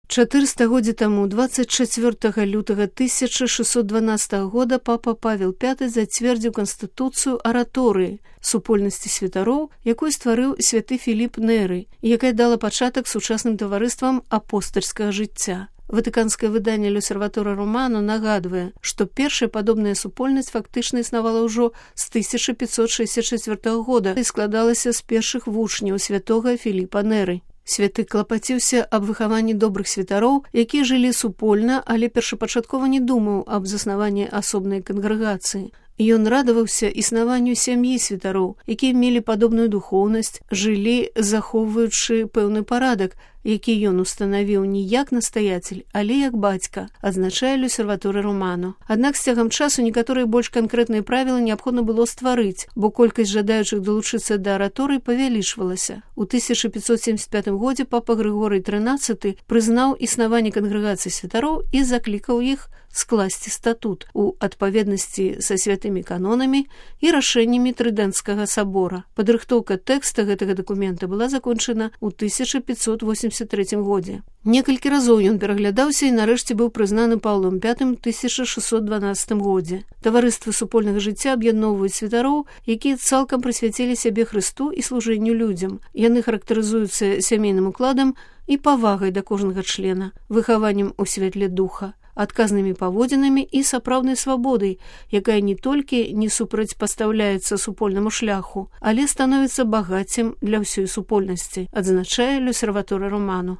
400 годзе таму, 24 лютага 1612 года, папа Павел V зацвердзіў канстытуцыю араторыі супольнасці святароў, якую стварыў святы Філіп Неры, якая дала пачатак сучасным таварыствам апостальскага жыцця. Ватыканскае выданне «L'Osservatore Romano» нагадвае, што першая падобная супольнасць фактычна існавала ўжо з 1564 года і складалася з першых вучняў святога Філіпа Неры. Святы клапаціўся аб выхаванні добрых святароў, якія жылі супольна, але першапачаткова не думаў аб заснаванні асобнай кангрэгацыі. Ён радаваўся існаванню сям'і святароў, якія мелі падобную духоўнасць, жылі, захоўваючы пэўны парадак, які ён устанавіў не як настаяцель, але як бацька, адзначае «L'Osservatore Romano». Аднак з цягам часу некаторыя больш канкрэтныя правілы неабходна было стварыць, бо колькасць жадаючых далучыцца да араторыі павялічвалася. У 1575 годзе папа Грыгорый XIII прызнаў існаванне кангрэгацыі святароў і заклікаў іх скласці статут у адпаведнасці са святымі канонамі і рашэннямі Трыдэнцкага сабора. Падрыхтоўка тэкста гэтага дакумента была закончана ў 1583 годзе. Некалькі разоў ён пераглядаўся і нарэшце быў прызнаны Паўлом V ў 1612 годзе. Таварыствы супольнага жыцця аб'ядноўваюць святароў, якія цалкам прысвяцілі сябе Хрысту і служэнню людзям. Яны характарызуюцца сямейным укладам і павагай да кожнага члена, выхаваннем у святле духа, адказнымі паводзінамі і сапраўднай свабодай, якая не толькі не супрацьпастаўляецца супольнаму шляху, але становіцца багаццем для ўсёй супольнасці, адзначае «L'Osservatore Romano».